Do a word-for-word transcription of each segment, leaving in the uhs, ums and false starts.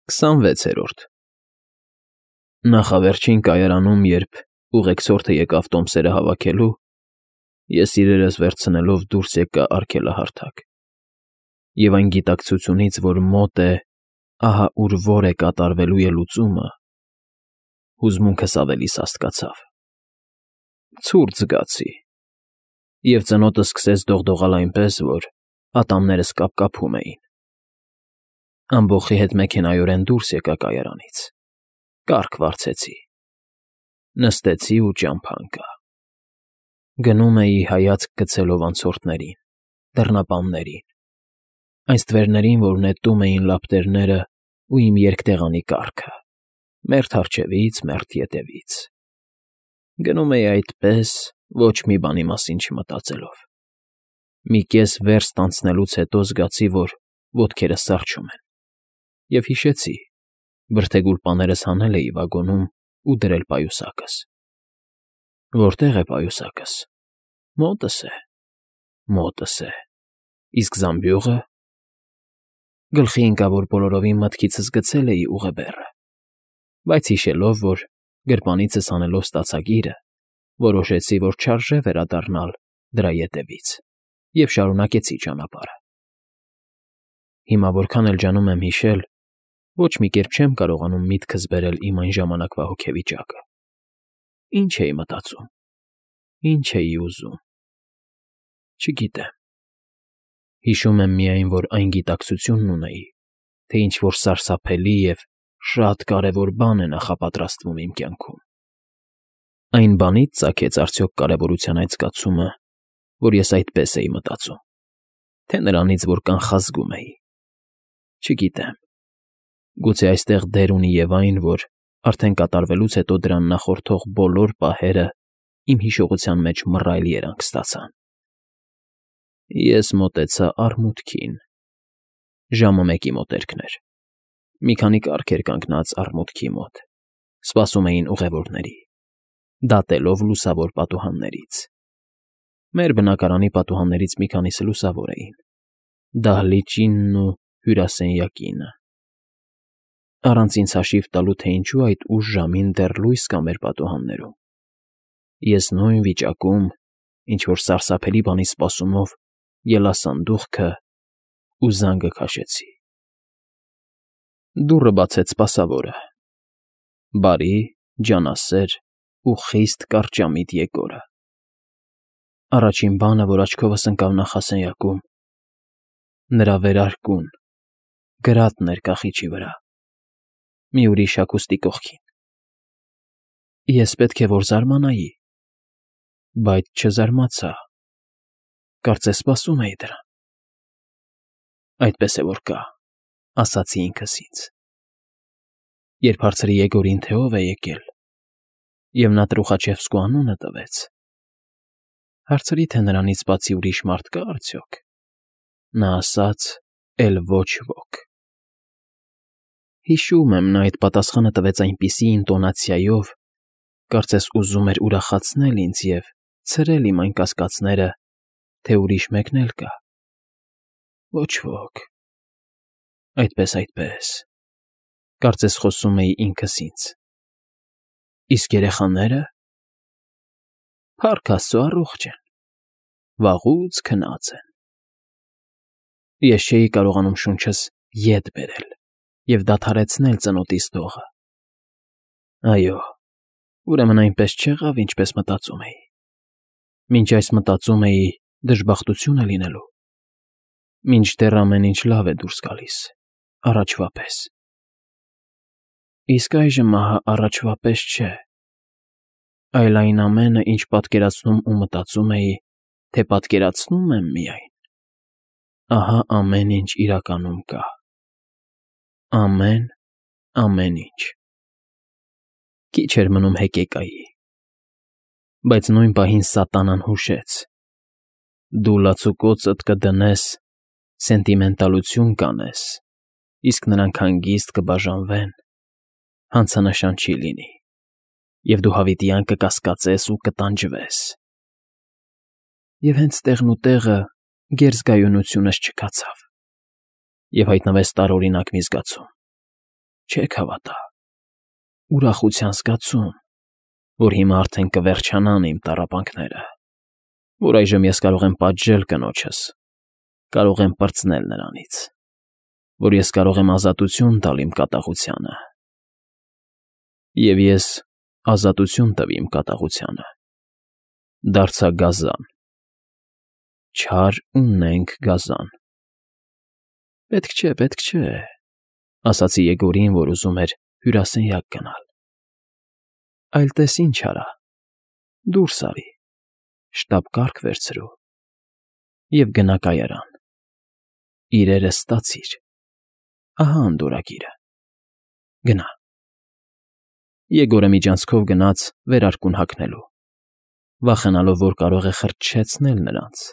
Քսանվեցերորդ Նախավերջին կայարանում, երբ ուղեկցորդը եկավ տոմսերը հավաքելու, ես իրերս վերցնելով դուրս եկա արգելահարթակ, և այն գիտակցությունից, որ մոտ է, ահա ուր որ է կատարվելու ելուծումը, հուզմունքս ավելի սաստկացավ, ցուրտ զգացի, և ծնոտս սկսեց դողդողալ այնպես, որ ատամներս կապկապում էին։ Ամբոխի հետ մեքենայորեն դուրս եկա կայարանից, կառք վարձեցի, նստեցի ու ճամփա ընկա։ Գնում էի հայացք գցելով անցորդներին, դռնապաններին, այն ստվերներին, որ նետում էին լապտերներն ու իմ երկտեղանի կառքը, մերթ առջևից, մերթ ետևից։ Գնում էի այդպես, ոչ մի բանի մասին չմտածելով։ Մի կես վերստ անցնելուց հետո զգացի, որ ոտքերս սառչում են, և հիշեցի. բրդեգուլպաներս հանել էի վագոնում ու դրել պայուսակս։ Որտե՞ղ է պայուսակս։ Մոտս է, մոտս է, իսկ զամբյուղը… Գլխի ընկավ, որ բոլորովին մտքիցս գցել էի ուղեբեռը, բայց հիշելով, որ գրպանիցս հանելով ստացագիրը, որոշեցի, որ չարժե վերադառնալ դրա ետևից, և շարունակեցի ճանապարհը։ Հիմա որքան էլ ջանում եմ հիշել, ոչ մի կերպ չեմ կարողանում միտքս բերել իմ այն ժամանակվա հոգեվիճակը։ Ինչ էի մտածում, ինչ էի ուզում… Չգիտեմ։ Հիշում եմ միայն, որ այն գիտակցությունն ունեի, թե ինչ֊որ սարսափելի և շատ կարևոր բան է նախապատրաստվում իմ կյանքում։ Այն բանից ծագեց արդյոք կարևորության այդ զգացումը, որ ես այդպես էի մտածում, թե նրանից, որ կանխազգում էի… Չգիտեմ։ Գուցե այստեղ դեր ունի և այն, որ արդեն կատարվելուց հետո դրան նախորդող բոլոր պահերը իմ հիշողության մեջ մռայլ երանգ ստացան։ Ես մոտեցա արմուտքին… Ժամը մեկի մոտերքն էր։ Մի քանի կառք էր կանգնած արմուտքի մոտ, սպասում էին ուղևորների, դատելով լուսավոր պատուհաններից։ Մեր բնակարանի պատուհաններից մի քանիսը լուսավոր էին, դահլիճինն ու հյուրասենյակինը։ Առանց ինձ հաշիվ տալու, թե ինչու այդ ուշ ժամին դեռ լույս կա մեր պատուհաններում, ես նույն վիճակում, ինչ֊որ սարսափելի բանի սպասումով ելա սանդուղքը ու զանգը քաշեցի։ Դուռը բացեց սպասավորը… բարի, ջանասեր ու խիստ կարճամիտ Եգորը։ Առաջին բանը, որ աչքովս ընկավ նախասենյակում, նրա վերարկուն, գրատն էր կախիչի վրա, մի ուրիշ հագուստի կողքին։ Ես պետք է որ զարմանայի, բայց չզարմացա, կարծես սպասում էի դրան։ Այդպես է որ կա, ասացի ինքս ինձ։ Երբ հարցրի Եգորին, թե ով է եկել, և նա Տրուխաչևսկու անունը տվեց, հարցրի, թե նրանից բացի ուրիշ մարդ կա՞ արդյոք, նա ասաց. «Էլ ոչ ոք»։ Հիշում եմ, նա այդ պատասխանը տվեց այնպիսի ինտոնացիայով, կարծես ուզում էր ուրախացնել ինձ և ցրել իմ այն կասկածները, թե ուրիշ մեկն էլ կա… Ոչ ոք… Այդպես, այդպես… Կարծես խոսում էի ինքս ինձ… Իսկ երեխաները… Փառք Աստծո, առողջ են, վաղուց քնած են… Ես չէի կարողանում շունչս ետ բերել և դադարեցնել ծնոտիս դողը… Այո, ուրեմն այնպես չեղավ, ինչպես մտածում էի… Մինչ այս մտածում էի դժբախտություն է լինելու… Մինչդեռ ամեն ինչ լավ է դուրս գալիս, առաջվա պես… Իսկ այժմ ահա առաջվա պես չէ… Այլ այն ամենը, ինչ պատկերացնում ու մտածում էի, թե պատկերացնում եմ միայն… Ահա ամեն ինչ իրականում կա… Ամեն, ամեն ինչ… Քիչ էր մնում հեկեկայի… Բայց նույն պահին սատանան հուշեց. «Դու լացուկոծդ կդնես, սենտիմենտալություն կանես, իսկ նրանք հանգիստ կբաժանվեն, հանցանշան չի լինի, և դու հավիտյան կկասկածես ու կտանջվես»… Եվ հենց տեղն ու տեղը գերզգայունությունս չքացավ, և հայտնվեց տարօրինակ մի զգացում… Չեք հավատա։ Ուրախության զգացում, որ հիմա արդեն կվերջանան իմ տառապանքները, որ այժմ ես կարող եմ պատժել կնոջս, կարող եմ պրծնել նրանից, որ ես կարող եմ ազատություն տալ իմ կատաղությանը։ Եվ ես ազատություն տվի իմ կատաղությանը, դարձա գազան, չար ու նենգ գազան։ Պետք չէ, պետք չէ, ասացի Եգորին, որ ուզում էր հյուրասենյակ գնալ։ Այլ տես ինչ արա, դուրս արի, շտապ կարգ վերցրու և գնա կայարան, իրերը ստացիր, ահա անդորրագիրը, գնա։ Եգորը միջանցքով գնաց վերարկուն հագնելու, վախենալով, որ կարող է խրճշեցնել նրանց,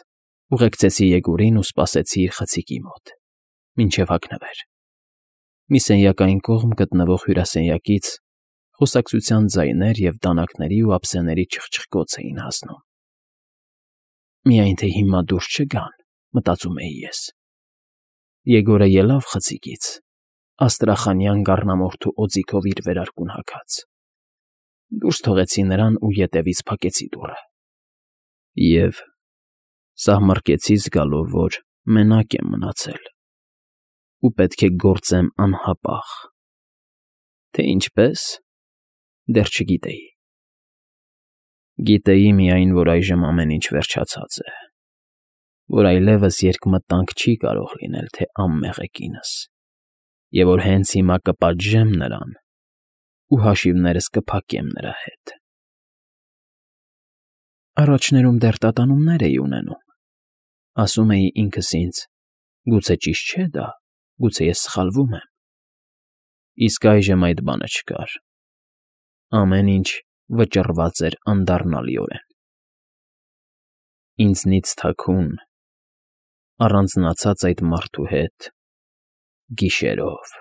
ուղեկցեցի Եգորին ու սպասեցի իր խցիկի մոտ, մինչև հագնվեր։ Մի սենյակային կողմ գտնվող հյուրասենյակից խոսակցության ձայներ և դանակների ու ափսեների չխչխկոց էին հասնում։ Միայն թե հիմա դուրս չգան, մտածում էի ես։ Եգորը ելավ խցիկից, աստրախանյան գառնամորթու օձիքով իր վերարկուն հագած։ Դուրս թողեցի նրան ու ետևից փակեցի դուռը։ Եվ սահմռկեցի զգալով, որ մենակ եմ մնացել ու պետք է գործեմ անհապաղ, թե ինչպես, դեռ չգիտեի։ Գիտեի միայն, որ այժմ ամեն ինչ վերջացած է, որ այլևս երկմտանք չի կարող լինել, թե անմեղ է կինս, և որ հենց հիմա կպատժեմ նրան ու հաշիվներս կփակեմ նրա հետ։ Առաջներում դեռ տատանումներ էի ունենում, ասում էի ինքս ինձ. գուցե ճիշտ չէ դա, գուցե ես սխալվում եմ։ Իսկ այժմ այդ բանը չկար։ Ամեն ինչ վճռված էր անդառնալիորեն։ Ինձնից թաքուն, առանձնացած այդ մարդու հետ, գիշերով։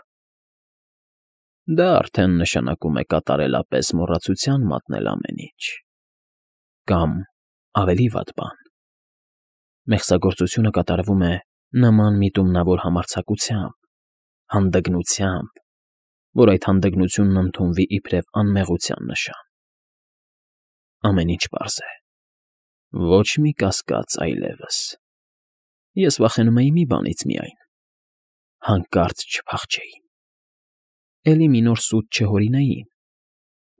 Դա արդեն նշանակում է կատարելապես մոռացության մատնել ամեն ինչ, կամ, ավելի վատ բան, մեղսագործությունը կատարվում է նման միտումնավոր համարձակությամբ, հանդգնությամբ, որ այդ հանդգնությունն ընդունվի իբրև անմեղության նշան։ Ամեն ինչ պարզ է, ոչ մի կասկած այլևս։ Ես վախենում էի մի բանից միայն. հանկարծ չփախչեին, էլի մի նոր սուտ չհորինեին,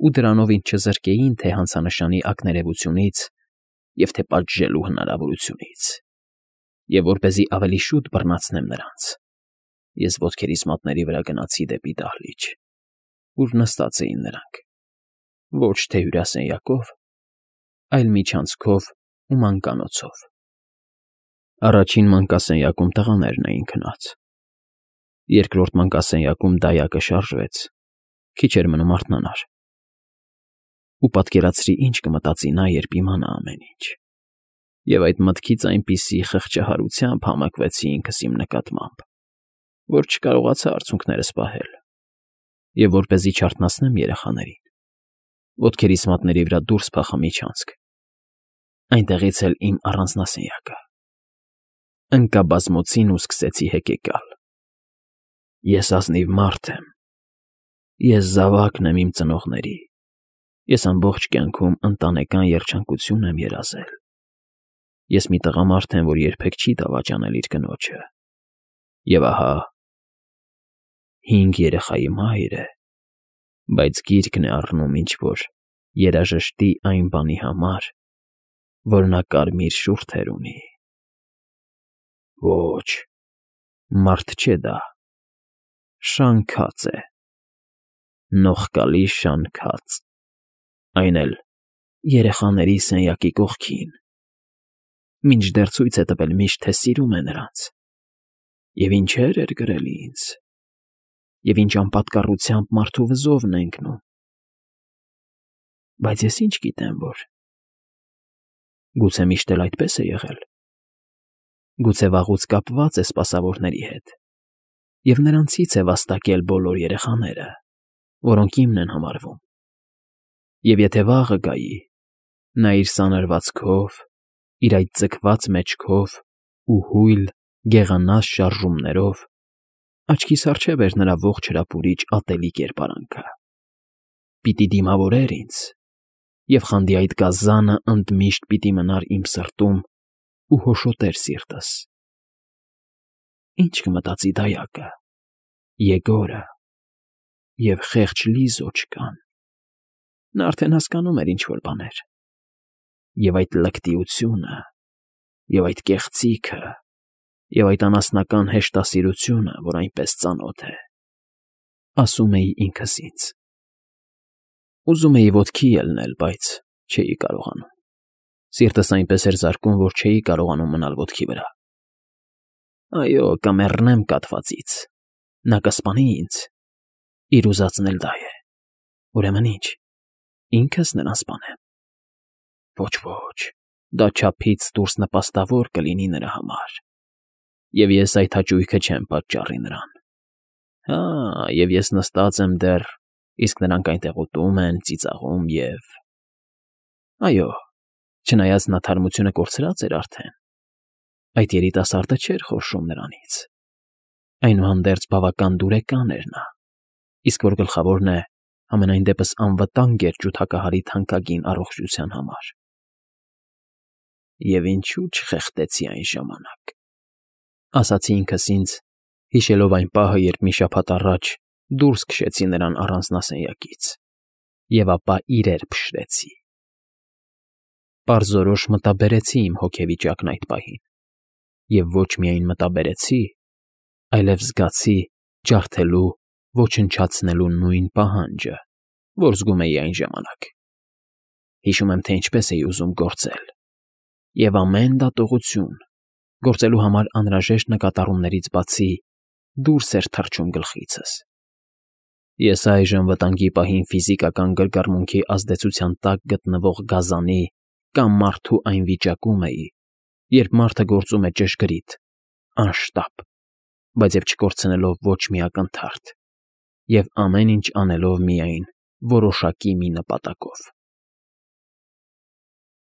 ու դրանով ինձ չզրկեին թե հանցանշանի ակներևությունից և թե պատժելու հնարավորությունից, և որպեսզի ավելի շուտ բռնացնեմ նրանց, ես ոտքերիս մատների վրա գնացի դեպի դահլիճ, ուր նստած էին նրանք, ոչ թե հյուրասենյակով, այլ միջանցքով ու մանկանոցով։ Առաջին մանկասենյակում տղաներն էին քնած, երկրորդ մանկասենյակում դայակը շարժվեց, քիչ էր մնում արթնանար։ Ու պատկերացրի, ինչ կմտածի նա, երբ իմանա ամեն ինչ, և այդ մտքից այնպիսի խղճահարությամբ համակվեցի ինքս իմ նկատմամբ, որ չկարողացա արցունքներս պահել, և որպեսզի չարթնացնեմ երեխաներին, ոտքերիս մատների վրա դուրս փախա միջանցք, այնտեղից էլ իմ առանձնասենյակը։ Ընկա բազմոցին ու սկսեցի հեկեկալ. Ես ազնիվ մարդ եմ, ես զավակն եմ իմ ծնողների, ես ամբողջ կյանքում ընտանեկան երջանկություն եմ երազել, ես մի տղամարդ եմ, որ երբեք չի դավաճանել իր կնոջը, և ահա հինգ երեխայի մայր է, բայց գիրկն է առնում ինչ֊որ երաժշտի այն բանի համար, որ նա կարմիր շուրթեր ունի։ Ոչ, մարդ չէ դա, շանքած է, նողկալի շանքած, այն էլ երեխաների սենյակի կողքին, մինչդեռ ցույց է տվել միշտ, թե սիրում է նրանց, և ինչեր էր գրել ինձ, և ինչ անպատկառությամբ մարդու վզովն է ընկնում։ Բայց ես ինչ գիտեմ, որ… Գուցե միշտ էլ այդպես է եղել, գուցե վաղուց կապված է սպասավորների հետ և նրանցից է վաստակել բոլոր երեխաները, որոնք իմն են համարվում, և եթե վաղը գայի, նա իր սանրվածքով, իր այդ ձգված մեջքով ու հույլ, գեղանաս շարժումներով Աչքիս առջև էր նրա ողջ հրապուրիչ ատելի կերպարանքը։ Պիտի դիմավորեր ինձ, և խանդի այդ գազանը ընդմիշտ պիտի մնար իմ սրտում ու հոշոտեր սիրտս։ Ինչ կմտածի դայակը, Եգորը և խեղճ Լիզո չկան։ Նա արդեն հասկանում էր ինչ֊որ բաներ։ Եվ այդ լկտիությունը, և այդ կեղծիքը, և այդ անասնական հեշտասիրությունը, որ այնպես ծանոթ է, ասում էի ինքս ինձ։ Ուզում էի ոտքի ելնել, բայց չէի կարողանում։ Սիրտս այնպես էր զարկում, որ չէի կարողանում մնալ ոտքի վրա։ Այո, կմեռնեմ կաթվածից, նա կսպանի ինձ, իր ուզածն էլ դա է։ Ուրեմն ի՞նչ, ինքս նրան սպանեմ։ Ոչ, ոչ, դա չափից դուրս նպաստավոր կլինի նրա համար, և ես այդ հաճույքը չեմ պատճառի նրան։ Հա, և ես նստած եմ դեռ, իսկ նրանք այնտեղ ուտում են, ծիծաղում և… Այո, չնայած նա թարմությունը կորցրած էր արդեն, այդ երիտասարդը չէր խորշում նրանից։ Այնուհանդերձ բավական դուրեկան էր նա, իսկ որ գլխավորն է, համենայն դեպս անվտանգ էր ջութակահարի թանկագին առողջության համար։ Եվ ինչո՞ւ չխեղդեցի այն ժամանակ, ասացի ինքս ինձ, հիշելով այն պահը, երբ մի շաբաթ առաջ դուրս քշեցի նրան առանձնասենյակից, և ապա իրեր փշրեցի։ Պարզորոշ մտաբերեցի իմ հոգեվիճակն այդ պահին, և ոչ միայն մտաբերեցի, այլև զգացի ջարդելու, ոչնչացնելու նույն պահանջը, որ զգում էի այն ժամանակ։ Հիշում եմ, թե ինչպես էի ուզում գործել, և ամեն դատողություն, գործելու համար անհրաժեշտ նկատառումներից բացի, դուրս էր թռչում գլխիցս։ Ես այժմ վտանգի պահին ֆիզիկական գրգռմունքի ազդեցության տակ գտնվող գազանի կամ մարդու այն վիճակում էի, երբ մարդը գործում է ճշգրիտ, անշտապ, բայց և չկորցնելով ոչ մի ակնթարթ, և ամեն ինչ անելով միայն որոշակի մի նպատակով։